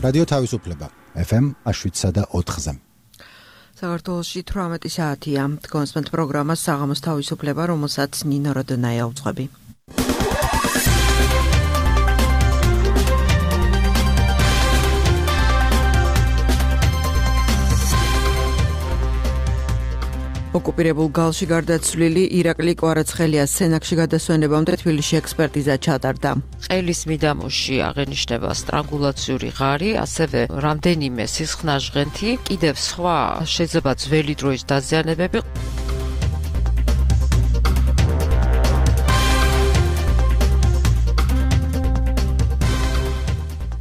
რადიო თავისუფლება FM 7.4-ზე. საქართველოში 18 საათია. კონსპენთ პროგრამა საღამოს თავისუფლება, რომელსაც ნინო როდონაია უძღვები. ოკუპირებულ გალში გარდაცვლილი ირაკლი კვარაცხელიას სენაკში გადასვენებამდე თბილისში ექსპერტიზა ჩატარდა. ყელის მიდამოში აღენიშნება სტრანგულაციური ღარი, ასევე რამდენიმე სისხლნაჟღენთი, კიდევ სხვა შეიძლება ძველი დროის დაზიანებები.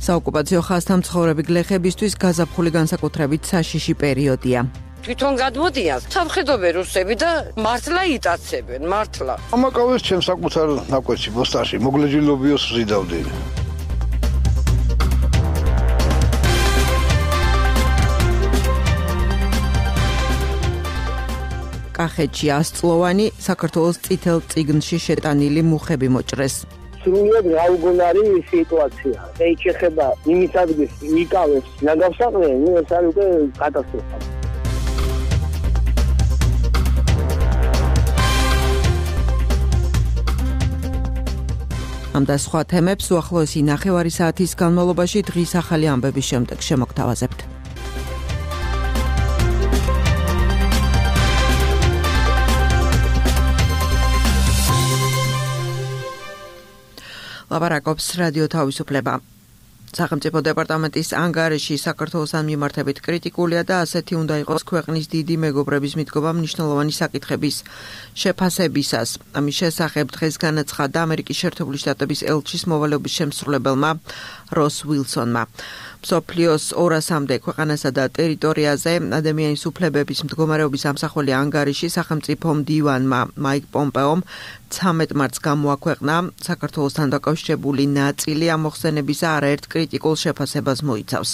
საოკუპაციო ხაზთან მცხოვრები გლეხებისთვის გაზაფხული განსაკუთრებით საშიში პერიოდია. თვითონ გადმოდიან სამხედრო რუსები და მართლა იტაცებენ, მართლა. ამაკავეს ჩემს საკუთარ ნაკვეთში ბოსტაში, მოგლეჯილობიოს ზიდავდნენ. კახეთში 100-წლოვანი საქართველოს წითელ წიგნში შეტანილი მუხები მოჭრეს. სრულიად გაუგონარი სიტუაცია. ეს ეხება იმის ადგილს იკავებს ნაგავსაყრე, ეს არის უკვე კატასტროფა. ამ და სხვა თემებს უახლოესი ნახევარი საათის განმავლობაში დღის ახალი ამბების შემდეგ შემოგთავაზებთ. ლაპარაკობს რადიო თავისუფლება. სახელმწიფო დეპარტამენტის ანგარიში საქართველოსთან მიმართებით კრიტიკულია და ასეთი უნდა იყოს ქვეყნის დიდი მეგობრების მიდგომა მნიშვნელოვანი საკითხების შეფასებისას. ამის შესახებ დღეს განაცხადა ამერიკის შეერთებული შტატების ელჩის მოვალეობის შემსრულებელმა როს უილსონმა. მსოფლიოს 200-მდე ქვეყანასა და ტერიტორიაზე ადამიანის უფლებების მდგომარეობის ამსახველი ანგარიში სახელმწიფო მდივანმა მაიკ პომპეომ 13 მარტს გამოაქვეყნა. საქართველოსთან დაკავშირებული ნაწილი ამ მოხსენებისა არაერთ კრიტიკულ შეფასებას მოიცავს.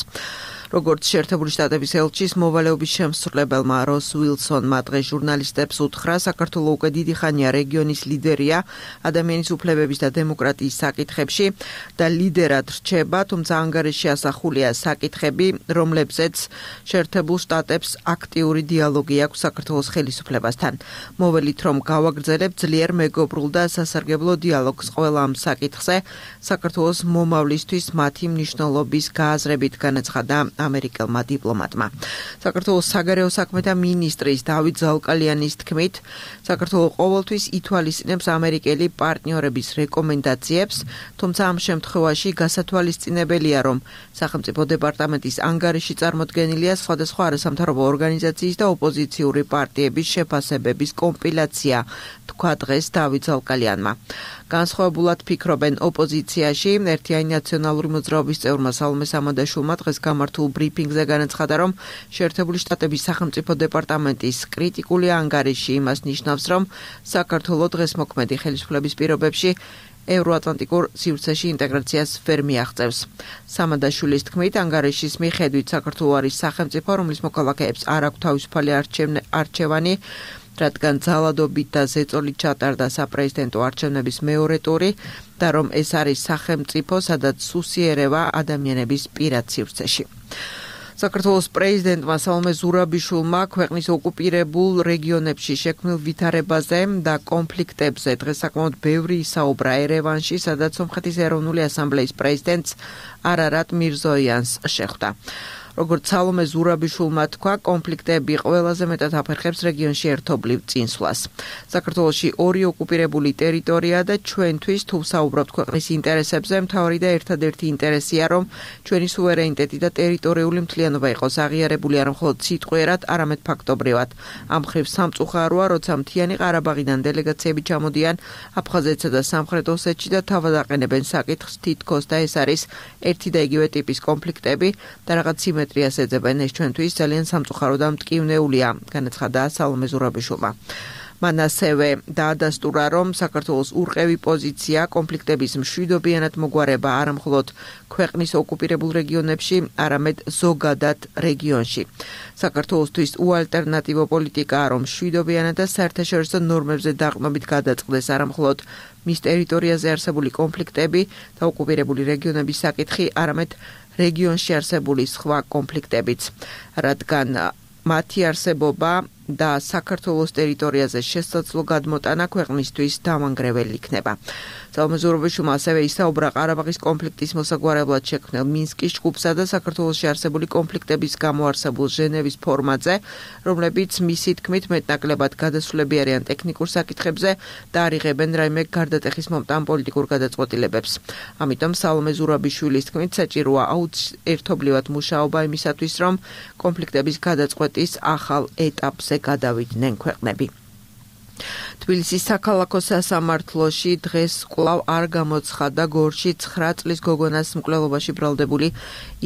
როგორც შეერთებული შტატების ელჩის მოვალეობის შემსრულებელმა როს უილსონმა დღეს ჟურნალისტებს უთხრა, საქართველო უკვე დიდი ხანია რეგიონის ლიდერია ადამიანის უფლებების და დემოკრატიის საკითხებში და ლიდერად რჩება, თუმცა ანგარიში ასახულია საკითხები, რომლებზეც შეერთებულ შტატებს აქტიური დიალოგი აქვს საქართველოს ხელისუფლებასთან. მოველით, რომ გავაგრძელებ ძლიერ მეგობრულ და სასარგებლო დიალოგს ყველა ამ საკითხზე, საქართველოს მომავლისთვის მათი მნიშვნელობის გააზრებით განაცხადა ამერიკელმა დიპლომატმა. საქართველოს საგარეო საქმეთა მინისტრის დავით ზალკალიანის თქმით, საქართველო ყოველთვის ითვალისწინებს ამერიკელი პარტნიორების რეკომენდაციებს, თუმცა ამ შემთხვევაში გასათვალისწინებელია, რომ სახელმწიფო დეპარტამენტის ანგარიში წარმოდგენილია სხვადასხვა არასამთავრობო ორგანიზაციის და ოპოზიციური პარტიების შეფასებების კომპილაცია, თქვა დღეს დავით ზალკალიანმა. განსხვავებულად ფიქრობენ ოპოზიციაში. ერთიანი ნაციონალური მოძრაობის წევრმა სალომე სამანდაშვილმა დღეს გამართულ ბრიფინგზე განაცხადა, რომ შეერთებული შტატების სახელმწიფო დეპარტამენტის კრიტიკული ანგარიში იმას ნიშნავს, რომ საქართველო დღესმოქმედი ხელისუფლების პირობებში ევროატლანტიკურ სივრცეში ინტეგრაციას ვერ მიაღწევს. სამანდაშვილის თქმით, ანგარიშის მიხედვით საქართველო არის სახელმწიფო, რომლის მოქალაქეებს არ აქვს თავისუფალი არჩევანი, რადგან ძალადობით და ზეწოლით ჩატარდა საპრეზიდენტო არჩევნების მეორე ტური და რომ ეს არის სახელმწიფო, სადაც სუსიერება ადამიანების პირად სივრცეში. საქართველოს პრეზიდენტმა სალომე ზურაბიშვილმა ქვეყნის ოკუპირებულ რეგიონებში შექმნილ ვითარებაზე და კონფლიქტებზე დღეს საკმაოდ ბევრი ისაუბრა ერევანში, სადაც სომხეთის ეროვნული ასამბლეის პრეზიდენტს არარატ მირზოიანს შეხვდა. როგორც სალომე ზურაბიშვილმა თქვა, კონფლიქტები ყველაზე მეტად აფერხებს რეგიონში ერთობლივ წინსვლას. საქართველოში ორი ოკუპირებული ტერიტორია და ჩვენთვის თუ საუბრობთ ქვეყნის ინტერესებზე, მთავარი და ერთადერთი ინტერესია, რომ ჩვენი სუვერენიტეტი და ტერიტორიული მთლიანობა იყოს აღიარებული არა მხოლოდ სიტყვიერად, არამედ ფაქტობრივად. ამ მხრივ სამწუხაროა, როცა მთიანი ყარაბაღიდან დელეგაციები ჩამოდიან აფხაზეთსა და სამხრეთ ოსეთში და თავად აყენებენ საკითხს, თითქოს და ეს არის ერთი და იგივე ტიპის კონფლიქტები და რაღაც სიმეტრიას ეძებენ. ეს ჩვენთვის ძალიან სამწუხარო და მტკივნეულია, განაცხადა სალომე ზურაბიშვილმა. მან ასევე დაადასტურა, რომ საქართველოს ურყევი პოზიცია კონფლიქტების მშვიდობიანად მოგვარება არა მხოლოდ ქვეყნის ოკუპირებულ რეგიონებში, არამედ ზოგადად რეგიონში. საქართველოსთვის უალტერნატივო პოლიტიკაა, რომ მშვიდობიანად და საერთაშორისო ნორმებზე დაყრდნობით გადაწყდეს არა მხოლოდ მის ტერიტორიაზე არსებული კონფლიქტები და ოკუპირებული რეგიონების საკითხი, არამედ რეგიონში არსებული სხვა კონფლიქტებიც, რადგან მათი არსებობა და საქართველოს ტერიტორიაზე შესაძლო გადმოტანა ქვეყნისთვის დამანგრეველი იქნება. ძალმეზურობაშვილმა ასევე ისაუბრა ყარაბაღის კონფლიქტის მოსაგვარებლად შექმნილ მინსკის ჯგუფსა და საქართველოში არსებული კონფლიქტების გამო არსებულ ჟენევის ფორმატზე, რომლებიც მისი თქმით მეტნაკლებად გადასულები არიან ტექნიკურ საკითხებზე და არ იღებენ რაიმე გარდატეხის მომტან პოლიტიკურ გადაწყვეტილებებს. ამიტომ სალომე ზურაბიშვილის თქმით საჭიროა ერთობლივად მუშაობა იმისათვის, რომ კონფლიქტების გადაწყვეტის ახალ ეტაპზე გადავიდნენ ქვეყნები. თბილისის საქალაქო სასამართლოში დღეს კვლავ არ გამოცხადა გორში 9 წლის გოგონას მკვლელობაში ბრალდებული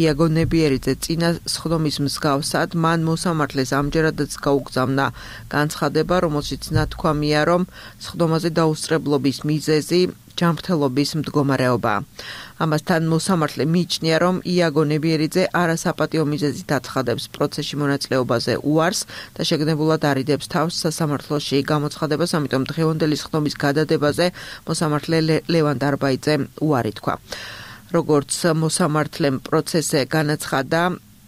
იაგო ნებიერიძე. წინა სხდომის მსგავსად მან მოსამართლეს ამჯერადაც გაუგზავნა განცხადება, რომელშიც ნათქვამია, რომ სხდომაზე დაუსწრებლობის მიზეზი ჯანმრთელობის მდგომარეობა. ამასთან მოსამართლე მიიჩნია, რომ იაგო ნებიერიძე არასაპატიო მიზეზით აცხადებს პროცესში მონაწილეობაზე უარს და შეგნებულად არიდებს თავს სასამართლოში გამოცხადებას, ამიტომ დღევანდელი სხდომის გადადებაზე მოსამართლე ლევან დარბაიძე უარი თქვა. როგორც მოსამართლემ პროცესზე განაცხადა,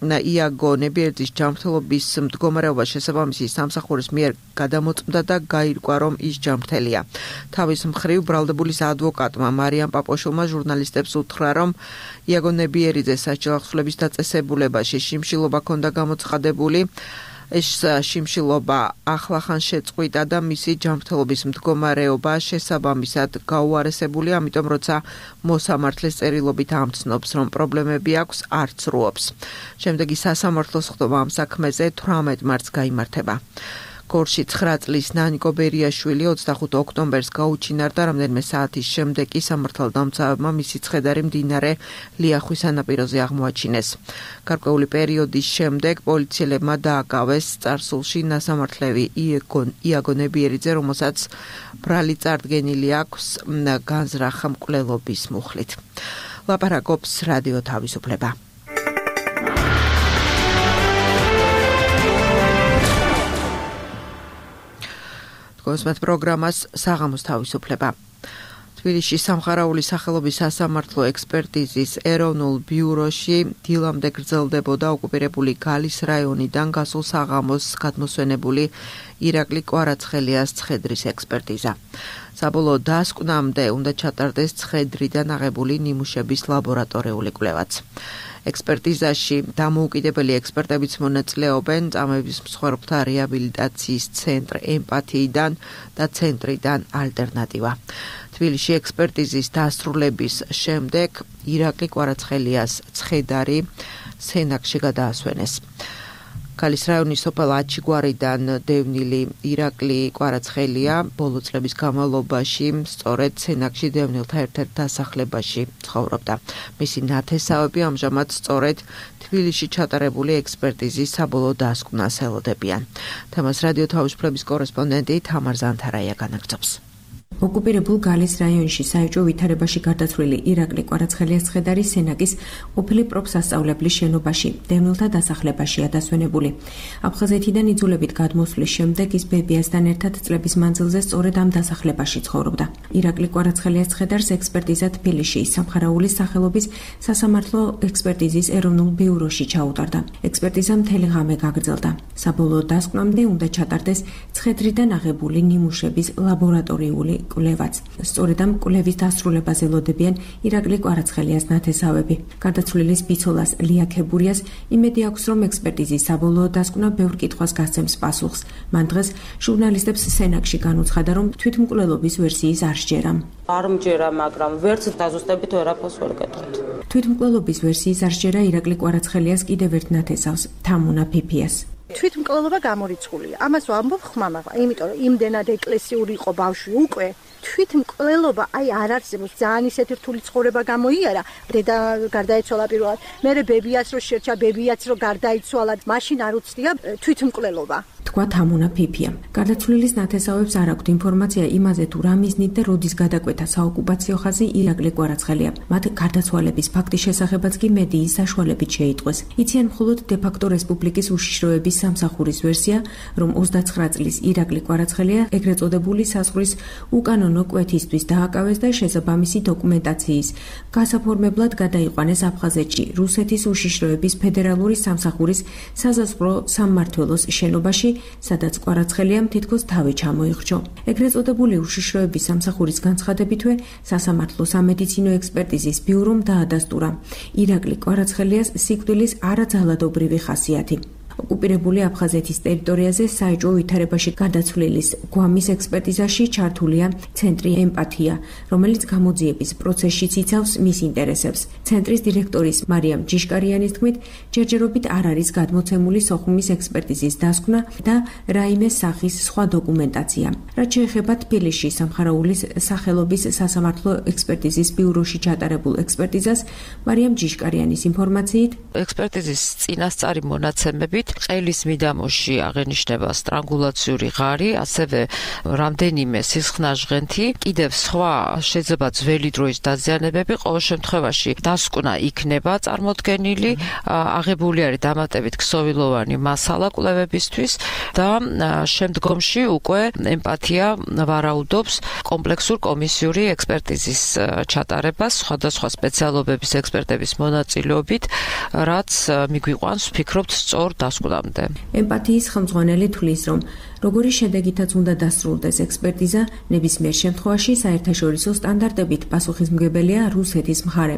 იაგო ნებიერიძის ჯანმრთელობის მდგომარეობა შესაბამისი სამსახურის მიერ გადამოწმდა და გაირკვა, რომ ის ჯანმრთელია. თავის მხრივ ბრალდებულის ადვოკატმა მარიამ პაპოშვილმა ჟურნალისტებს უთხრა, რომ იაგო ნებიერიძეს საჯელახსვლების დაწესებულებაში შიმშილობა ჰქონდა გამოცხადებული. ეს შიმშილობა ახლახან შეწყვიტა და მისი ჯანმრთელობის მდგომარეობა შესაბამისად გაუარესებული, ამიტომ როცა მოსამართლეს წერილობით ამცნობს, რომ პრობლემები აქვს, არ ცრუობს. შემდეგი სასამართლოს სხდომა ამ საქმეზე 18 მარტს გაიმართება. გორში 9 წლის ნანიკო ბერიაშვილი 25 ოქტომბერს გაუჩინარდა, რამდენიმე საათის შემდეგ კი სამართალდამცავებმა მისი ცხედარი მდინარე ლიახვის სანაპიროზე აღმოაჩინეს. გარკვეული პერიოდის შემდეგ პოლიციელებმა დააკავეს წარსულში ნასამართლევი იაგო ნებიერიძე, რომელსაც ბრალი წარდგენილი აქვს განზრახ მკვლელობის მუხლით. ლაპარაკობს რადიო თავისუფლება. კონსმეთ პროგრამას საღამოს თავისუფლება. თბილისში სამხარაული სახელობის სასამართლო ექსპერტიზის ეროვნულ ბიუროში დილამდე გრძელდებოდა ოკუპირებული გალის რაიონიდან გასულ საღამოს გადმოსვენებული ირაკლი კვარაცხელიას ცხედრის ექსპერტიზა. საბოლოო დასკვნამდე უნდა ჩატარდეს ცხედრიდან აღებული ნიმუშების ლაბორატორიული კვლევაც. ექსპერტიზაში დამოუკიდებელი ექსპერტებიც მონაწილეობენ წამების მსხვერპლთა რეაბილიტაციის ცენტრ ემპათიიდან და ცენტრიდან ალტერნატივა. თბილისში ექსპერტიზის დასრულების შემდეგ ირაკლი კვარაცხელიას ცხედარი სენაკში გადაასვენეს. გალის რაიონის სოფელ აჩიგვარიდან დევნილი ირაკლი კვარაცხელია ბოლო წლების განმავლობაში სწორედ სენაკში დევნილთა ერთ-ერთ დასახლებაში ცხოვრობდა. მისი ნათესავები ამჟამად სწორედ თბილისში ჩატარებული ექსპერტიზის საბოლოო დასკვნას ელოდებიან. თემას რადიო თავისუფლების კორესპონდენტი თამარ ზანთარაია განაგრძობს. ოკუპირებულ გალის რაიონში საეჭვო ვითარებაში გარდაცვლილი ირაკლი კვარაცხელიას ცხედარი სენაკის ყოფილი პროფსასწავლებლის შენობაში დევნილთა დასახლებაშია დასვენებული. აფხაზეთიდან იძულებით გადმოსვლის შემდეგ ის ბებიასთან ერთად წლების მანძილზე სწორედ ამ დასახლებაში ცხოვრობდა. ირაკლი კვარაცხელიას ცხედარს ექსპერტიზა თბილისში სამხარაულის სახელობის სასამართლო ექსპერტიზის ეროვნულ ბიუროში ჩაუტარდა. ექსპერტიზა მთელი ღამე გაგრძელდა. საბოლოო დასკვნამდე უნდა ჩატარდეს ცხედრიდან აღებული ნიმუშების ლაბორატორიული კვლევაც. სწორედ ამ კვლევის დასრულებას ელოდებიან ირაკლი კვარაცხელიას ნათესავები. გარდაცვლილის ბიცოლას ლია ქებურიას იმედი აქვს, რომ ექსპერტიზის საბოლოო დასკვნა ბევრ კითხვას გასცემს პასუხს. მან დღეს ჟურნალისტებს სენაკში განუცხადა, რომ თვითმკვლელობის ვერსიის არ სჯერა. არ მჯერა, მაგრამ ვერც დაზუსტებით ვერაფერს ვერ გეტყვით. თვითმკვლელობის ვერსიის არ სჯერა ირაკლი კვარაცხელიას კიდევ ერთ ნათესავს, თამუნა ფიფიას. თვითმკვლელობა გამორიცხულია. ამას ვამბობ ხმამა, იმიტომ რომ იმდენად ეკლესიური იყო ბავშვი უკვე. თვითმკვლელობა არ არსებობს. ძალიან ისეთი რთული ცხოვრება გამოიარა. დედა გარდაეცვალა პირველად. მერე ბებიაც რო შერჩა, ბებიაც რო გარდაიცვალა, მაშინ არ უცდია თვითმკვლელობა. თქვა თამუნა ფიფიამ. გარდაცვლილის ნათესავებს არ აქვთ ინფორმაცია იმაზე თუ რა მიზნით და როდის გადაკვეთა საოკუპაციო ხაზი ირაკლი კვარაცხელია. მათ გარდაცვალების ფაქტის შესახებაც კი მედიის საშუალებით შეიტყვეს. იციან მხოლოდ დე-ფაქტო რესპუბლიკის უშიშროების სამსახურის ვერსია, რომ 29 წლის ირაკლი კვარაცხელია ეგრეთ წოდებული საზღვრის უკანონო კვეთისთვის დააკავეს და შესაბამისი დოკუმენტაციის გასაფორმებლად გადაიყვანეს აფხაზეთში, რუსეთის უშიშროების ფედერალური სამსახურის საზაზღვრო სამმართველოს შენობაში, სადაც კვარაცხელიამ თითქოს თავი ჩამოიხრჩო. ეგრეთ წოდებული უშიშროების სამსახურის განცხადებითვე სასამართლო სამედიცინო ექსპერტიზის ბიურომ დაადასტურა ირაკლი კვარაცხელიას სიკვდილის არაძალადობრივი ხასიათი. ოკუპირებული აფხაზეთის ტერიტორიაზე საეჭვო ვითარებაში გადაცვლილის გვამის ექსპერტიზაში ჩართულია ცენტრი ემპათია, რომელიც გამოძიების პროცესშიც იცავს მის ინტერესებს. ცენტრის დირექტორის მარიამ ჯიშკარიანის თქმით, ჯერჯერობით არ არის გადმოცემული სოხუმის ექსპერტიზის დასკვნა და რაიმე სახის სხვა დოკუმენტაცია. რაც შეეხება თბილისში სამხარაულის სახელობის სასამართლო ექსპერტიზის ბიუროში ჩატარებულ ექსპერტიზას, მარიამ ჯიშკარიანის ინფორმაციით, ექსპერტიზის წინასწარი მონაცემები ყელის მიდამოში აღენიშნება სტრანგულაციური ღარი, ასევე რამდენიმე სისხლნაჟღენთი, კიდევ სხვა შეიძლება ძველი დროის დაზიანებები, ყოველ შემთხვევაში დასკვნა იქნება წარმოდგენილი, აღებული არის დამატებით ქსოვილოვანი მასალა კვლევებისთვის და შემდგომში უკვე ემპათია ვარაუდობს კომპლექსურ კომისიური ექსპერტიზის ჩატარებას სხვადასხვა სპეციალობების ექსპერტების მონაწილეობით, რაც მიგვიყვანს ვფიქრობთ სწორ დასკვნამდე. ემპათიის ხელმძღვანელი თვლის, რომ როგორი შედეგითაც უნდა დასრულდეს ექსპერტიზა, ნებისმიერ შემთხვევაში საერთაშორისო სტანდარტებით პასუხისმგებელია რუსეთის მხარე.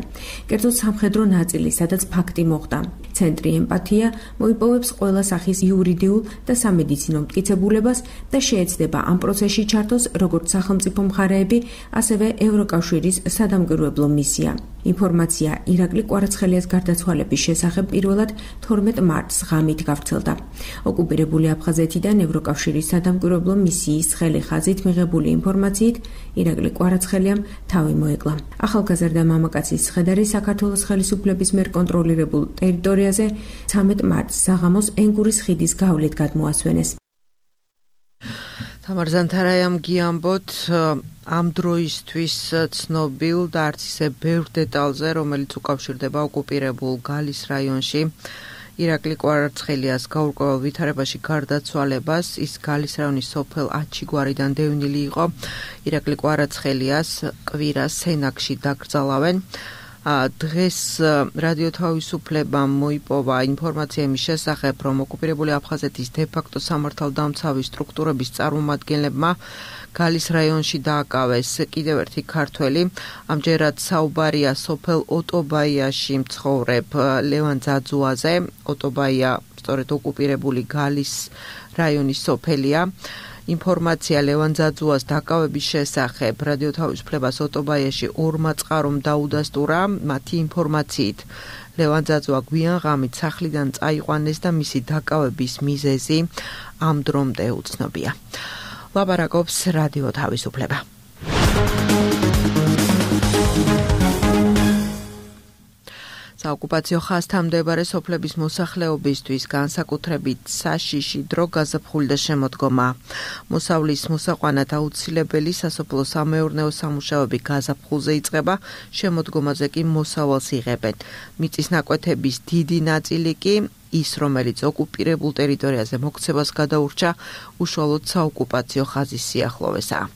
კერძოდ სამხედრო ნაწილი, სადაც ფაქტი მოხდა. ცენტრი ემპათია მოიპოვებს ყველა სახის იურიდიულ და სამედიცინო მტკიცებულებას და შეეცდება ამ პროცესში ჩართოს როგორც სახელმწიფო მხარეები, ასევე ევროკავშირის სადამკვირვებლო მისია. ინფორმაცია ირაკლი კვარაცხელიას გარდაცვალების შესახებ პირველად 12 მარტს ღამით გავრცელდა. ოკუპირებული აფხაზეთიდან ევროკავშირის სადამკვირვებლო მისიის ცხელი ხაზით მიღებული ინფორმაციით, ირაკლი კვარაცხელიამ თავი მოეკლა. ახალგაზრდა მამაკაცის ცხედარი საქართველოს ხელისუფლების მიერ კონტროლირებულ ტერიტორიაზე 13 მარტს საღამოს ენგურის ხიდის გავლით გადმოასვენეს. თამარ ზანთარაიამ გიამბოთ ამ დროისთვის ცნობილ და არც ისე ბევრ დეტალზე, რომელიც უკავშირდება ოკუპირებულ გალის რაიონში ირაკლი კვარაცხელიას გაურკვეველ ვითარებაში გარდაცვალებას. ის გალის რაიონის სოფელ აჩიგვარიდან დევნილი იყო. ირაკლი კვარაცხელიას კვირას სენაკში დაკრძალავენ. დღეს რადიო თავისუფლებამ მოიპოვა ინფორმაცია იმის შესახებ, რომ ოკუპირებული აფხაზეთის დე-ფაქტო სამართალდამცავი სტრუქტურების წარმომადგენლებმა გალის რაიონში დააკავეს კიდევ ერთი ქართველი. ამჯერად საუბარია სოფელ ოტობაიაში მცხოვრებ ლევან ძაძუაზე. ოტობაია სწორედ ოკუპირებული გალის რაიონის სოფელია. ინფორმაცია ლევან ძაძუას დაკავების შესახებ რადიო თავისუფლებას ოტობაიაში ორმა წყარომ დაუდასტურა. მათი ინფორმაციით ლევან ძაძუა გვიან ღამით სახლიდან წაიყვანეს და მისი დაკავების მიზეზი ამ დრომდე უცნობია. ლაპარაკობს რადიო თავისუფლება. საოკუპაციო ხაზთან მდებარე სოფლების მოსახლეობისთვის განსაკუთრებით საშიში დრო გაზაფხული და შემოდგომა. მოსავლის მოსაყვანად აუცილებელი სასოფლო სამეურნეო სამუშაოები გაზაფხულზე იწყება, შემოდგომაზე კი მოსავალს იღებენ. მიწის ნაკვეთების დიდი ნაწილი კი ის, რომელიც ოკუპირებულ ტერიტორიაზე მოქცევას გადაურჩა, უშუალოდ საოკუპაციო ხაზის სიახლოვესაა.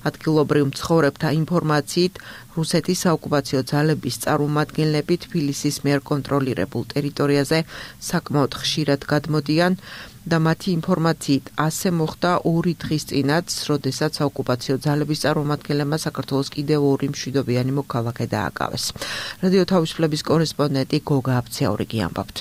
ადგილობრივ მცხოვრებთა ინფორმაციით, რუსეთის საოკუპაციო ძალების წარმომადგენლები თბილისის მიერ კონტროლირებულ ტერიტორიაზე საკმაოდ ხშირად გადმოდიან და მათი ინფორმაციით ასე მოხდა 2 დღის წინაც, როდესაც საოკუპაციო ძალების წარმომადგენლებმა საქართველოს კიდევ 2 მშვიდობიანი მოქალაქე დააკავეს. რადიო თავისუფლების კორესპონდენტი გოგა აბცაურიგი ამბობთ.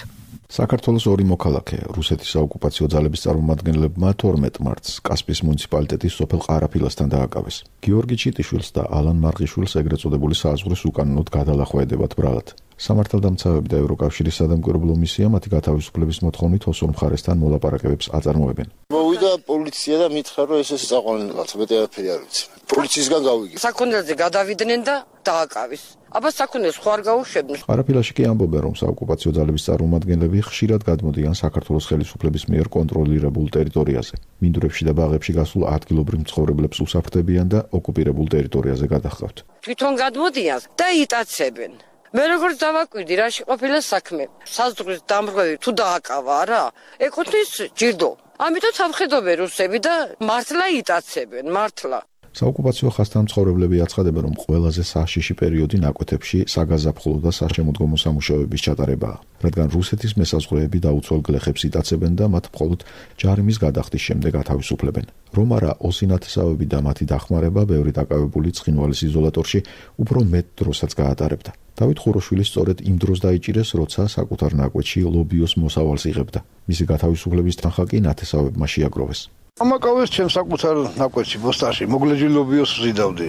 საქართველოს 2 მოქალაქე რუსეთის საოკუპაციო ძალების წარმომადგენლებმა 12 მარტს კასპიის მუნიციპალიტეტის სოფელ ყარაფილასთან დააკავეს. გიორგი ჩიტიშვილს და ალან მარღიშვილს ეგრეთ წოდებული საზღვრის უკანონოდ გადალახვედებათ ბრალად. სამართალდამცავები და ევროკავშირის სადამკვირვებლო მისია მათი გათავისუფლების მოთხოვნით ოსურ მხარესთან მოლაპარაკებებს აწარმოებენ. მოვიდა პოლიცია და მითხრა, რომ ეს საყვარელი კაცო, მეტი არაფერი არ ვიცი. პოლიციისგან გავიგე. საქონელზე გადავიდნენ და დააკავეს. აბა საქონელს ხო არ გაუშვებდნენ. ყარაფილაში კი ამბობენ, რომ საოკუპაციო ძალების წარმომადგენლები ხშირად გადმოდიან საქართველოს ხელისუფლების მიერ კონტროლირებულ ტერიტორიაზე. მინდვრებში და ბაღებში გასულ ადგილობრივ მცხოვრებლებს უსაფრდებიან და ოკუპირებულ ტერიტორიაზე გადაჰყავთ. თვითონ გადმოდიან და იტაცებენ. მე როგორც დავაკვირდი, რაში ყოფილა საქმე. საზღვრის დამრღვევი თუ დააკავა რა, ეკუთვნის ჯილდო. ამიტომ სამხედრობენ რუსები და მართლა იტაცებენ, მართლა. საოკუპაციო ხასთან მცხოვრებლები აცხადებენ, რომ ყველაზე საშიში პერიოდი ნაკვეთებში საგაზაფხულო და საშემოდგომო სამუშაოების ჩატარებაა, რადგან რუსეთის მესაზღვრეები დაუცველ გლეხებს იტაცებენ და მათ მხოლოდ ჯარიმის გადახდის შემდეგ ათავისუფლებენ. რომ არა ოსინათესავები და მათი დახმარება ბევრი დაკავებული ცხინვალის იზოლატორში უფრო მეტ დროსაც გაატარებდა. დავით ხუროშვილი სწორედ იმ დროს დაიჭირეს, როცა საკუთარ ნაკვეთში ლობიოს მოსავალს იღებდა. მისი გათავისუფლების თანხა კი ნათესავებმა შეაგროვეს. ამაკავეს ჩემ საკუთარ ნაკვეთში ბოსტაში მოგლეჯი ლობიოს ვზიდავდი.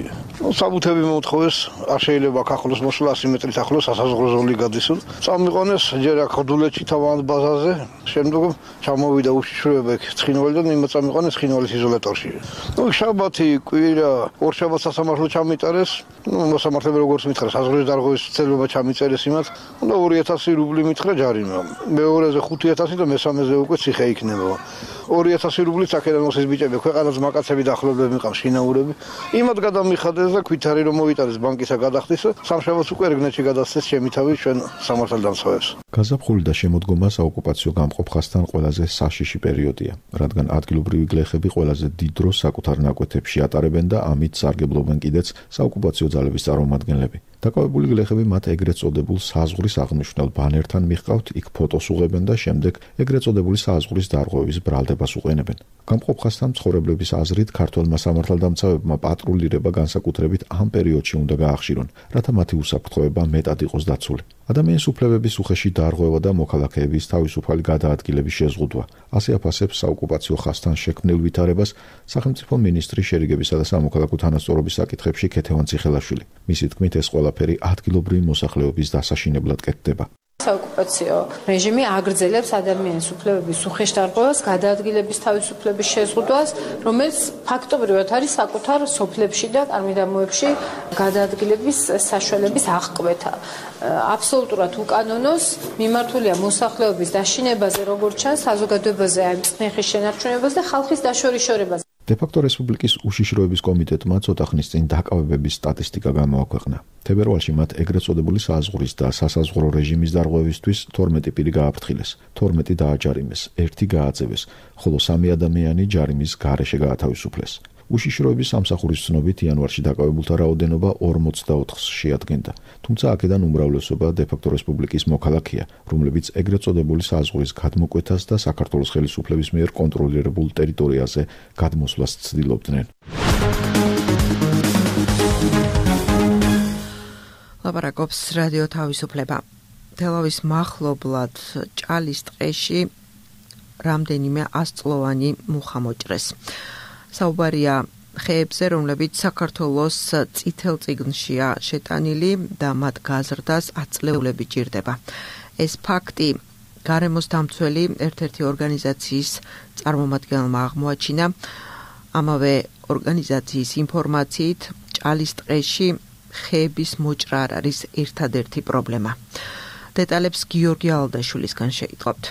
საბუთები მომთხოვეს, არ შეიძლება აქ ახლოს მოსვლა 100 მეტრით ახლოს სასაზღვრო ზოლი გადისო. წამიყვანეს ჯერ აქ ხდულეთში თავად ბაზაზე, შემდეგ ჩამოვიდა უშიშროება იქ ცხინვალიდან მიმოწამიყვანეს ცხინვალის იზოლატორში. შაბათი კვირა ორშაბათს სასამართლო ჩამიტარეს, მოსამართლეები როგორც მითხრა საზღვრის დარღვევის ცელობა ჩამიწერეს იმათ, და 2000 რუბლი მითხრა ჯარიმა. მეორეზე 5000 და მესამეზე უკვე ციხე იქნება. 2000 რუბლით აქედან მოსის ბიჭები ქვეყანას მაკაცები და ახლობლები მიყავს შინაურები. იმათ გადამიხადეს და ქვითარი რომ მოიტანეს ბანკისა გადახდის, სამშაბათს უკვე რეგნეთში გადასცეს ჩემი თავი ჩვენ სამართალდამცავებს. გაზაფხული და შემოდგომა საოკუპაციო გამყოფ ხასთან ყველაზე საშიში პერიოდია, რადგან ადგილობრივი გლეხები ყველაზე დიდ დროს საკუთარ ნაკვეთებში ატარებენ და ამით სარგებლობენ კიდეც საოკუპაციო ძალების წარმომადგენლები. დაკავებული გლეხები მათ ეგრეთ წოდებულ საზღვრის აღნიშნულ ბანერთან მიჰყავთ, იქ ფოტოს უღებენ და შემდეგ ეგრეთ წოდებული საზღვრის დარღვევის ბრალდებას უყენებენ. გამყოფ ხასთან მცხოვრებლების აზრით, ქართველმა სამართალდამცავებმა პატრულირება განსაკუთრებით ამ პერიოდში უნდა გაახშირონ, რათა მათი უსაფრთხოება მეტად იყოს დაცული. ადამიანის უფლებების უხეში დარღვევა და მოქალაქეების თავისუფალი გადაადგილების შეზღუდვა. ასე აფასებს საოკუპაციო ხასთან შექმნილ ვითარებას სახელმწიფო მინისტრი შერიგებისა და სამოქალაქო თანასწორობის საკითხებში ქეთევან ციხელაშვილი. მისი თქმით, ეს ყველაფერი ადგილობრივი მოსახლეობის დასაშინებლად კეთდება. საოკუპაციო რეჟიმი აგრძელებს ადამიანის უფლებების უხეშდარღვევას, გადაადგილების თავისუფლების შეზღუდვას, რომელიც ფაქტობრივად არის საკუთარ სოფლებში და კარმიდამოებში გადაადგილების საშუალების აღკვეთა. აბსოლუტურად უკანონოს მიმართულია მოსახლეობის დაშინებაზე, როგორც ჩანს, საზოგადოებაზე აი წნეხის შენარჩუნებაზე და ხალხის დაშორიშორებაზე. დე-ფაქტო რესპუბლიკის უშიშროების კომიტეტმა ცოტა ხნის წინ დაკავებების სტატისტიკა გამოაქვეყნა. თებერვალში მათ ეგრეთ წოდებული საზღვრის და სასაზღვრო რეჟიმის დარღვევისთვის 12 პირი გააფრთხილეს, 12 დააჯარიმეს, 1 გააძევეს, ხოლო 3 ადამიანი ჯარიმის გარეშე გაათავისუფლეს. უშიშროების სამსახურის ცნობით იანვარში დაკავებულთა რაოდენობა 44-ს შეადგენდა, თუმცა აქედან უმრავლესობა დე-ფაქტო რესპუბლიკის მოქალაქეა, რომლებიც ეგრეთ წოდებული საზღვრის გადმოკვეთას და საქართველოს ხელისუფლების მიერ კონტროლირებულ ტერიტორიაზე გადმოსვლას ცდილობდნენ. ლაპარაკობს რადიო თავისუფლება. თელავის მახლობლად ჭალის ტყეში რამდენიმე 100-წლოვანი მუხა მოჭრეს. საუბარია ხეებზე, რომლებიც საქართველოს წითელ წიგნშია შეტანილი და მათ გაზრდას აწლეულები ჭირდება. ეს ფაქტი გარემოს დამცველი ერთ-ერთი ორგანიზაციის წარმომადგენელმა აღმოაჩინა. ამავე ორგანიზაციის ინფორმაციით, ჭალის ტყეში ხეების მოჭრა არ არის ერთადერთი პრობლემა. დეტალებს გიორგი ალდაშვილისგან შეიტყობთ.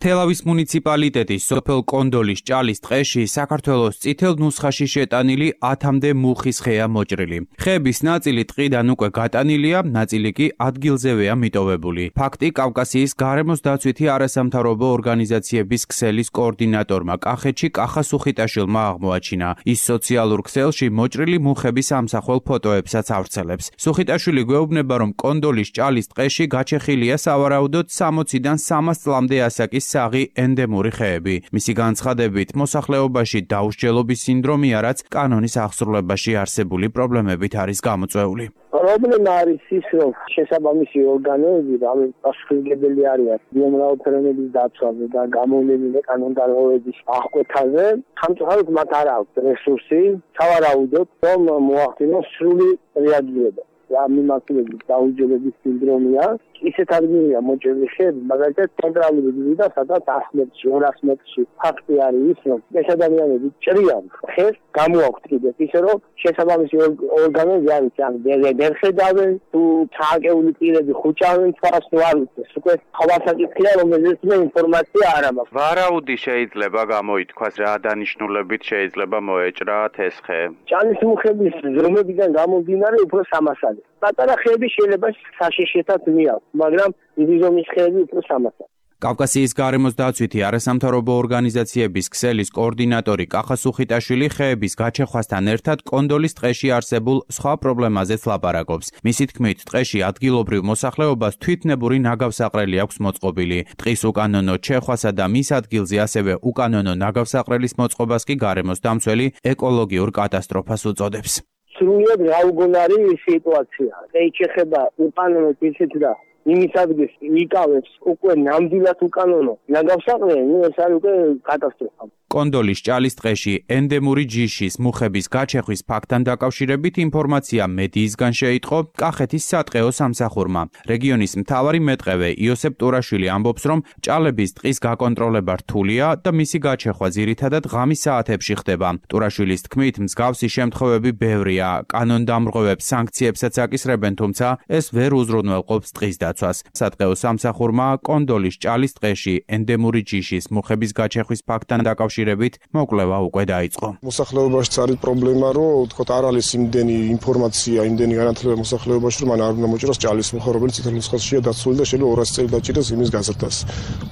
თელავის მუნიციპალიტეტის სოფელ კონდოლის ჭალის ტყეში საქართველოს წითელ ნუსხაში შეტანილი 10-მდე მუხის ხეა მოჭრილი. ხეების ნაწილი ტყიდან უკვე გატანილია, ნაწილი კი ადგილზევეა მიტოვებული. ფაქტი კავკასიის გარემოს დაცვითი არასამთავრობო ორგანიზაციების ქსელის კოორდინატორმა კახეთში კახა სუხიტაშვილმა აღმოაჩინა. ის სოციალურ ქსელში მოჭრილი მუხების ამსახველ ფოტოებსაც ავრცელებს. სუხიტაშვილი გვეუბნება, რომ კონდოლის ჭალის ტყეში გაჩეხილია სავარაუდოდ 60-დან 300 წლამდე ასაკის საღი ენდემური ხეები. მისი განცხადებით, მოსახლეობაში დაუსჯელობის სინდრომია, რაც კანონის აღსრულებაში არსებული პრობლემებით არის გამოწვეული. პრობლემა არის ის, რომ შესაბამისი ორგანოები პასუხისმგებელი არიან ბიომრავალფეროვნების დაცვაზე და გამოვლენილი კანონდარღვევების აღკვეთაზე. სამწუხაროდ მათ არ აქვს რესურსი, სავარაუდოდ, რომ მოახდინოს სრული რეაგირება. ამ მიმართულებით დაუჯერების სინდრომია. ისეთ ადგილია მოჭრილი ხეები, მაგალითად ცენტრალური გზიდან, სადაც 100 მეტრში, 200 მეტრში ფაქტი არის ის, რომ ეს ადამიანები ჭრიან ხეს, გამოაქვთ კიდევ ისე, რომ შესაბამისი ორგანოები არის, ან ვერ ხედავენ, თუ ჩააკეული პირები ხუჭავენ თავს თუ არ უწეს. უკვე ხავასაკითხია, რომელიც მე ინფორმაცია არ მაქვს. ვარაუდი შეიძლება გამოითქვას, რა დანიშნულებით შეიძლება მოეჭრათ ეს ხე? ჭალის მუხების ზრმებიდან გამომდინარე უფრო სამასალი. პატარა ხეები შეიძლება საშიშეთად მიაქვს, მაგრამ დიდი ზომის ხეები უფრო სამასალი. კავკასიის გარემოს დაცვითი არასამთავრობო ორგანიზაციების ქსელის კოორდინატორი კახა სუხიტაშვილი ხეების გაჩეხვასთან ერთად კონდოლის ტყეში არსებულ სხვა პრობლემაზეც ლაპარაკობს. მისი თქმით, ტყეში ადგილობრივ მოსახლეობას თვითნებური ნაგავსაყრელი აქვს მოწყობილი. ტყის უკანონო ჩეხვასა და მის ადგილზე ასევე უკანონო ნაგავსაყრელის მოწყობას კი გარემოს დამცველი ეკოლოგიურ კატასტროფას უწოდებს. სრულიად გაუგონარი სიტუაცია. ეს ეხება უკანონო ისეთ და იმის ადგილს იკავებს უკვე ნამდვილად უკანონო ნაგავსაყრელი, ეს არის უკვე კატასტროფა. კონდოლის ჭალის ტყეში ენდემური ჯიშის მუხების გაჩეხვის ფაქტთან დაკავშირებით ინფორმაცია მედიისგან შეიტყო კახეთის სატყეო სამსახურმა. რეგიონის მთავარი მეტყევე იოსებ ტურაშვილი ამბობს, რომ ჭალების ტყის გაკონტროლება რთულია და მისი გაჩეხვა ძირითადად ღამის საათებში ხდება. ტურაშვილის თქმით, მსგავსი შემთხვევები ბევრია. კანონდამრღვევებს სანქციებსაც აკისრებენ, თუმცა ეს ვერ უზრუნველყოფს ტყის დაცვას. სატყეო სამსახურმა კონდოლის ჭალის ტყეში ენდემური ჯიშის მუხების გაჩეხვის ფაქტთან დაკავშირებით მოკვლევა უკვე დაიწყო. მოსახლეობაშიც არის პრობლემა, რომ თქო არ არის იმდენი ინფორმაცია, იმდენი განათლება მოსახლეობაში, რომ მან არ უნდა მოჭრას ჭალის მუხა, რომელიც წითელ ნუსხაშია დაცული და შეიძლება 200 წელი დაჭირდეს იმის გაზრდას.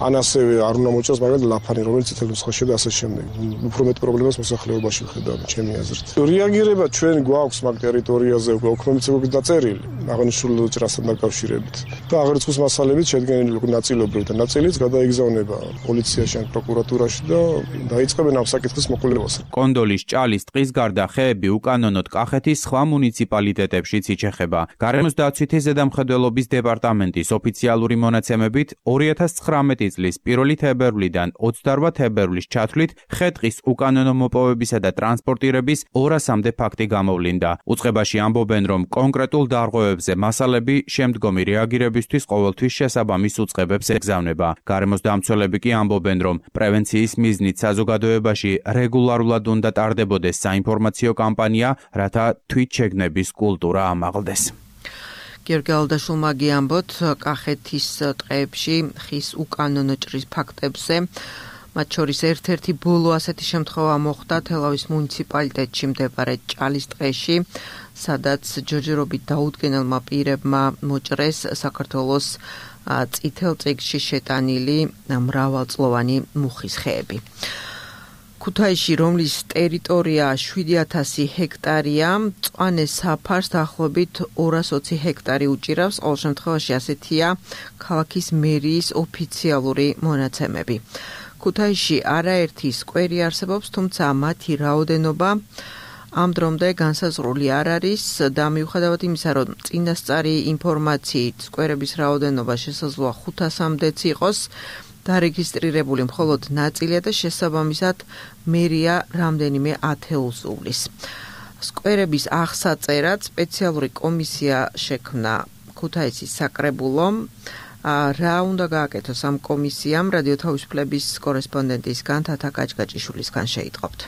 ან ასევე არ უნდა მოჭრას მაგალითად ლაფანი, რომელიც წითელ ნუსხაშია და ასე შემდეგ. უფრო მეტ პრობლემას მოსახლეობაში ვხედავ, ჩემი აზრით. რეაგირება ჩვენ გვაქვს მაგ ტერიტორიაზე უკვე ოქმომცემობის დაწერილი, აღნიშნულ ჭრასთან დაკავშირებით. და აღრიცხვის მასალებით შედგენილი ნაწილობრივ და ნაწილიც გადაიგზავნება პოლიციაში ან პროკურატურაში და დაიწყებენ ამ საკითხის მოყოლებას. კონდოლის ჭალის ტყის გარდა ხეები უკანონოდ კახეთის სხვა მუნიციპალიტეტებშიც იჩეხება. გარემოს დაცვითი ზედამხედველობის დეპარტამენტის ოფიციალური მონაცემებით 2019 წლის 1 თებერვლიდან 28 თებერვლის ჩათვლით ხე-ტყის უკანონო მოპოვებისა და ტრანსპორტირების 200-მდე ფაქტი გამოვლინდა. უწყებაში ამბობენ, რომ კონკრეტულ დარღვევებზე მასალები შემდგომი რეაგირებისთვის ყოველთვის შესაბამის უწყებებს ეგზავნება. გარემოს დამცველები კი ამბობენ, რომ პრევენციის მიზნით საზოგადოებაში რეგულარულად უნდა ტარდებოდეს საინფორმაციო კამპანია, რათა თვითშეგნების კულტურა ამაღლდეს. გიორგი ალდაშულმა გიამბოთ კახეთის ტყეებში ხის უკანონო ჭრის ფაქტებზე. მათ შორის ერთ-ერთი ბოლო ასეთი შემთხვევა მოხდა თელავის მუნიციპალიტეტში მდებარე ჭალის ტყეში, სადაც ჯერჯერობით დაუდგენელმა პირებმა მოჭრეს საქართველოს წითელ წიგნში შეტანილი მრავალწლოვანი მუხის ხეები. ქუთაისში, რომლის ტერიტორია 7000 ჰექტარია, მწვანე საფარს დაახლოებით 220 ჰექტარი უჭირავს. ყოველ შემთხვევაში ასეთია ქალაქის მერიის ოფიციალური მონაცემები. ქუთაისში არაერთი სკვერი არსებობს, თუმცა მათი რაოდენობა ამ დრომდე განსაზღვრული არ არის და მიუხედავად იმისა, რომ წინასწარი ინფორმაციით სკვერების რაოდენობა შესაძლოა 500-მდეც იყოს, დარეგისტრირებული მხოლოდ ნაწილია და შესაბამისად მერია რამდენიმე ათეულს უვლის. სკვერების აღსაწერად სპეციალური კომისია შექმნა ქუთაისის საკრებულომ. რა უნდა გააკეთოს ამ კომისიამ, რადიო თავისუფლების კორესპონდენტისგან თათა გაჭგაჭიშვილისგან შეიტყობთ.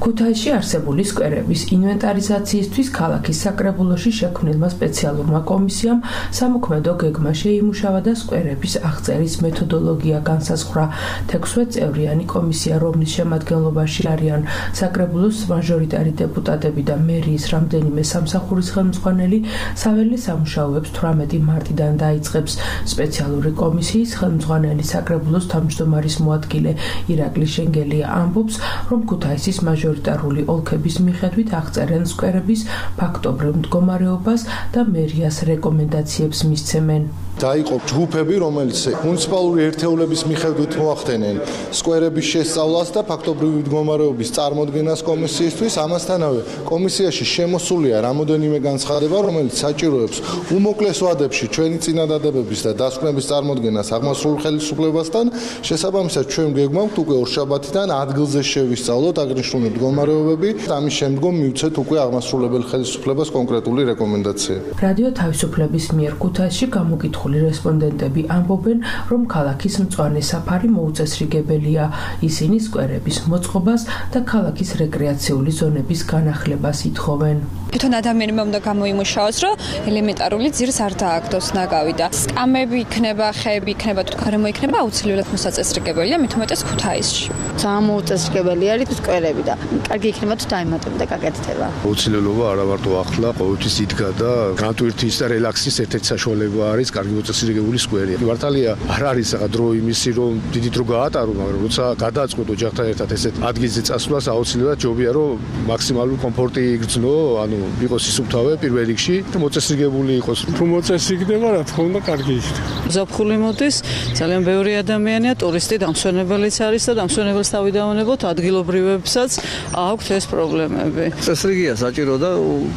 ქუთაისში არსებული სკვერების ინვენტარიზაციისთვის ქალაქის საკრებულოში შექმნილმა სპეციალურმა კომისიამ სამოქმედო გეგმა შეიმუშავა და სკვერების აღწერის მეთოდოლოგია განსაზღვრა. 16 წევრიანი კომისია, რომლის შემადგენლობაში არიან საკრებულოს მაჟორიტარი დეპუტატები და მერიის რამდენიმე სამსახურის ხელმძღვანელი, საველე სამუშაოებს 18 მარტიდან დაიწყებს. სპეციალური კომისიის ხელმძღვანელი საკრებულოს თავმჯდომარის მოადგილე ირაკლი შენგელია ამბობს, რომ ქუთაისის მაჟორიტარული ოლქების მიხედვით აღწერენ სკვერების ფაქტობრივ მდგომარეობას და მერიას რეკომენდაციებს მისცემენ. დაიყო ჯგუფები, რომელიც მუნიციპალური ერთეულების მიხედვით მოახდენენ სკვერების შესწავლას და ფაქტობრივი მდგომარეობის წარმოდგენას კომისიისთვის. ამასთანავე კომისიაში შემოსულია რამოდენიმე განცხადება, რომელიც საჭიროებს უმოკლეს ვადებში ჩვენი წინადადებების და დასკვნების წარმოდგენას აღმასრულებელ ხელისუფლებასთან. შესაბამისად, ჩვენ გეგმავთ უკვე ორშაბათიდან ადგილზე შევისწავლოთ აღნიშნული მდგომარეობები და ამის შემდგომ მივცეთ უკვე აღმასრულებელ ხელისუფლებას კონკრეტული რეკომენდაცია. რადიო თავისუფლების მიერ ქუთაისში გამოკითხული რესპონდენტები ამბობენ, რომ ქალაქის მწვანე საფარი მოუწესრიგებელია. ისინი სკვერების მოწყობას და ქალაქის რეკრეაციული ზონების განახლებას ითხოვენ. თვითონ ადამიანმა უნდა გამოიმუშაოს, რომ ელემენტარული ძირს არ დააგდოს ნაგავი და სკამები იქნება, ხეები იქნება, თუ გარემო იქნება, აუცილებლად მოსაწესრიგებელია, მით უმეტეს ქუთაისში. ძალიან მოუწესრიგებელი არის სკვერები და კარგი იქნება თუ დაემატებოდა და გაკეთდება. აუცილებლობა არა მარტო ახლა, ყოველთვის იდგა და განტვირთის და რელაქსის ერთ-ერთი საშუალება არის კარგი მოწესრიგებული სკვერი. მართალია არ არის ახლა დრო იმისი, რომ დიდი დრო გაატარო, მაგრამ როცა გადააწყვეტ ოჯახთან ერთად ესეთ ადგილზე წასვლას აუცილებლად ჯობია, რომ მაქსიმალური კომფორტი იგრძნო, ანუ იყოს ისუფთავე პირველ რიგში და მოწესრიგებული იყოს. თუ მოწესრიგდება, რა თქმა უნდა, კარგი იქნება. ზაფხული მოდის, ძალიან ბევრი ადამიანია, ტურისტი დამსვენებელიც არის და დამსვენებელს თავი დავანებოთ, ადგილობრივებსაც აქვთ ეს პრობლემები. წესრიგია საჭირო და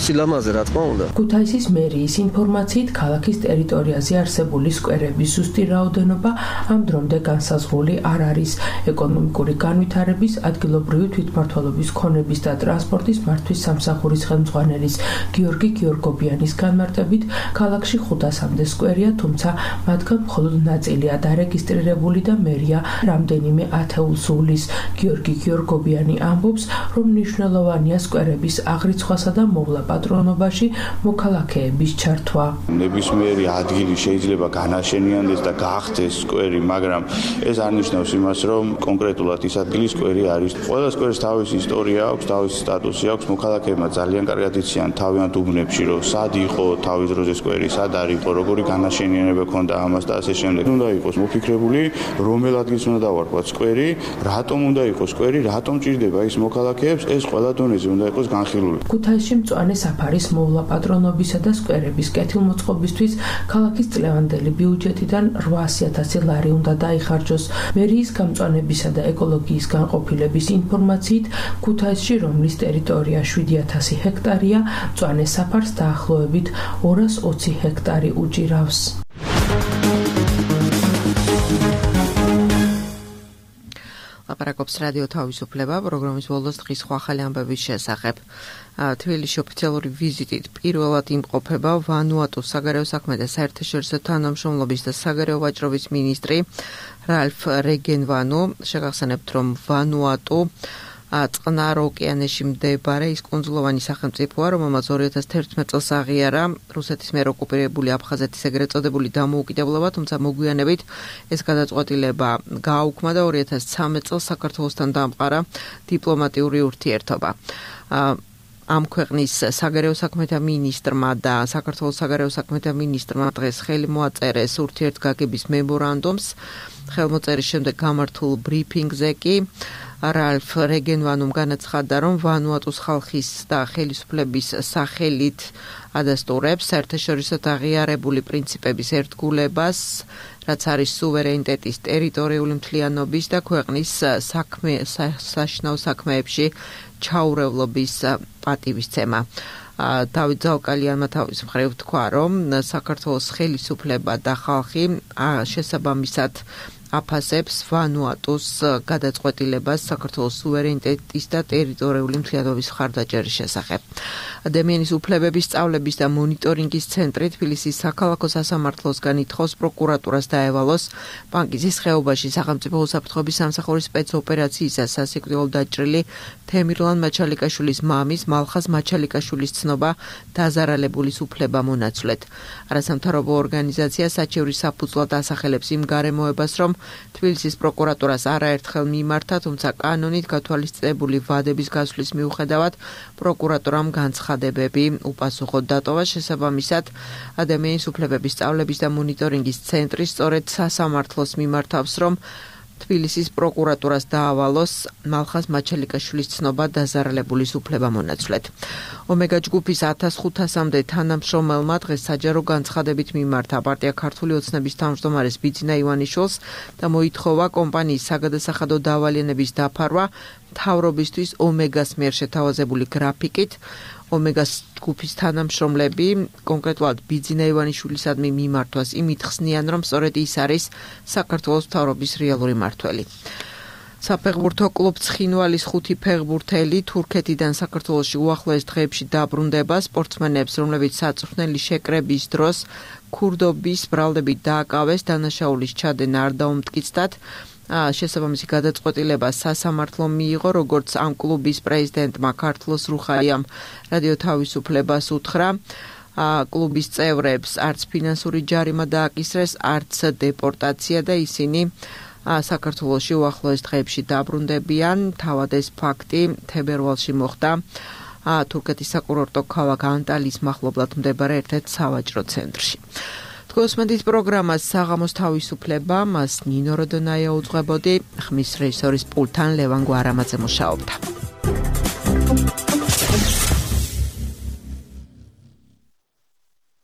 სილამაზე, რა თქმა უნდა. ქუთაისის მერიის ინფორმაციით, ქალაქის ტერიტორიაზე არსებული სკვერების ზუსტი რაოდენობა ამ დრომდე განსაზღვრული არ არის. ეკონომიკური განვითარების, ადგილობრივი თვითმმართველობის ქონების და ტრანსპორტის მართვის სამსახურის ხელმძღვანელის გიორგი გიორგობიანის განმარტებით, ქალაქში 500-მდე სკვერია, თუმცა მათგან მხოლოდ ნაწილია დარეგისტრირებული და მერია რამდენიმე ათეულს უვლის. გიორგი გიორგობიანი ამბობს, რომ მნიშვნელოვანია სკვერების აღრიცხვასა და მოვლა პატრონობაში მოქალაქეების ჩართვა. ნებისმიერი ადგილი შეიძლება განაშენიანდეს და გახდეს სკვერი, მაგრამ ეს არ ნიშნავს იმას, რომ კონკრეტულად ის ადგილი სკვერი არის. ყველა სკვერს თავისი ისტორია აქვს, თავისი სტატუსი აქვს, მოქალაქეებმა ძალიან კარგად იციან თავიანთ უბნებში, რომ სად იყო თავის დროზე სკვერი, სად არ იყო, როგორი განაშენიანება ქონდა ამას და ასე შემდეგ. უნდა იყოს მოფიქრებული, რომელ ადგილს უნდა დავარქვათ სკვერი, რატომ უნდა იყოს სკვერი, რატომ ჭირდება ის მოქალაქეებს, ეს ყველა დონეზე უნდა იყოს განხილული. ქუთაისში მწვანე საფარის მოვლა პატრონობისა და სკვერების კეთილმოწყობისთვის ქალაქის წლევანდელი ბიუჯეტიდან 800,000 ლარი უნდა დაიხარჯოს. მერიის გამწვანებისა და ეკოლოგიის განყოფილების ინფორმაციით, ქუთაისში, რომლის ტერიტორია 7,000 ჰექტარია, მწვანე საფარს დაახლოებით 220 ჰექტარი უჭირავს. ლაპარაკობს რადიო თავისუფლება პროგრამის ბოლოს დღის სხვა ახალი ამბების შესახებ. თბილისში ოფიციალური ვიზიტით პირველად იმყოფება ვანუატუს საგარეო საქმეთა და საერთაშორისო თანამშრომლობის და საგარეო ვაჭრობის მინისტრი რალფ რეგენვანუ. შეგახსენებთ, რომ ვანუატუ წყნარ ოკეანეში მდებარე ის კუნძულოვანი სახელმწიფოა, რომელმაც 2011 წელს აღიარა რუსეთის მიერ ოკუპირებული აფხაზეთის ეგრეთ წოდებული დამოუკიდებლობა, თუმცა მოგვიანებით ეს გადაწყვეტილება გააუქმა და 2013 წელს საქართველოსთან დამყარა დიპლომატიური ურთიერთობა. ამ ქვეყნის საგარეო საქმეთა მინისტრმა და საქართველოს საგარეო საქმეთა მინისტრმა დღეს ხელი მოაწერეს ურთიერთგაგების მემორანდუმს. ხელმოწერის შემდეგ გამართულ ბრიფინგზე კი რალფ რეგენვანუმ განაცხადა, რომ ვანუატუს ხალხის და ხელისუფლების სახელით ადასტურებს საერთაშორისო აღიარებული პრინციპების ერთგულებას, რაც არის სუვერენიტეტის, ტერიტორიული მთლიანობის და ქვეყნის საშინაო საქმეებში ჩაურევლობის პატივისცემა. დავით ზალკალიანმა თავის მხრივ თქვა, რომ საქართველოს ხელისუფლება და ხალხი შესაბამისად აფასებს ვანუატუს გადაწყვეტილებას საქართველოს სუვერენიტეტის და ტერიტორიული მთლიანობის მხარდაჭერის შესახებ. ადამიანის უფლებების სწავლების და მონიტორინგის ცენტრი თბილისის საქალაქო სასამართლოსგან ითხოვს პროკურატურას დაევალოს პანკისის ხეობაში სახელმწიფო უსაფრთხოების სამსახურის სპეცოპერაციისა სასიკვდილო დაჭრილი თემირლან მაჩალიკაშვილის მამის მალხაზ მაჩალიკაშვილის ცნობა დაზარალებულის უფლება მონაცვლეთ. არასამთავრობო ორგანიზაცია საჩევრის საფუძვლად ასახელებს იმ გარემოებას, რომ თბილისის პროკურატურას არაერთხელ მიმართა, თუმცა კანონით გათვალისწინებული ვადების გასვლის მიუხედავად პროკურატურამ განცხადებები უპასუხოდ დატოვა. შესაბამისად, ადამიანის უფლებების სწავლების და მონიტორინგის ცენტრი სწორედ სასამართლოს მიმართავს, რომ თბილისის პროკურატურას დაავალოს მალხაზ მაჩელიკაშვილის ცნობა დაზარალებული უფლებამონაცვლედ. ომეგა ჯგუფის 1500-მდე თანამშრომელმა დღეს საჯარო განცხადებით მიმართა პარტია ქართული ოცნების თავმჯდომარეს ბიძინა ივანიშვილს და მოითხოვა კომპანიის საგადასახადო დავალიანების დაფარვა მთავრობისთვის ომეგას მიერ შეთავაზებული გრაფიკით. ომეგას ჯგუფის თანამშრომლები კონკრეტულად ბიძინა ივანიშვილისადმი მიმართვას იმით ხსნიან, რომ სწორედ ის არის საქართველოს მთავრობის რეალური მმართველი. საფეხბურთო კლუბ ცხინვალის 5 ფეხბურთელი თურქეთიდან საქართველოში უახლოეს დღეებში დაბრუნდება. სპორტსმენებს, რომლებიც საწვრთნელი შეკრების დროს ქურდობის ბრალდებით დააკავეს, დანაშაულის ჩადენა არ დაუმტკიცდათ. შესაბამისი გადაწყვეტილება სასამართლომ მიიღო, როგორც ამ კლუბის პრეზიდენტმა ქართლოს რუხაიამ რადიო თავისუფლებას უთხრა. კლუბის წევრებს არც ფინანსური ჯარიმა დააკისრეს, არც დეპორტაცია და ისინი საქართველოში უახლოეს დღეებში დაბრუნდებიან. თავად ეს ფაქტი თებერვალში მოხდა თურქეთის საკურორტო ქალაქ ანტალიის მახლობლად მდებარე ერთ-ერთ სავაჭრო ცენტრში. გოსმენდით პროგრამას საღამოს თავისუფლება, მას ნინო როდონაია უძღვებოდი, ხმის რეჟისორის პულტთან ლევან გვარამაძე მუშაობდა.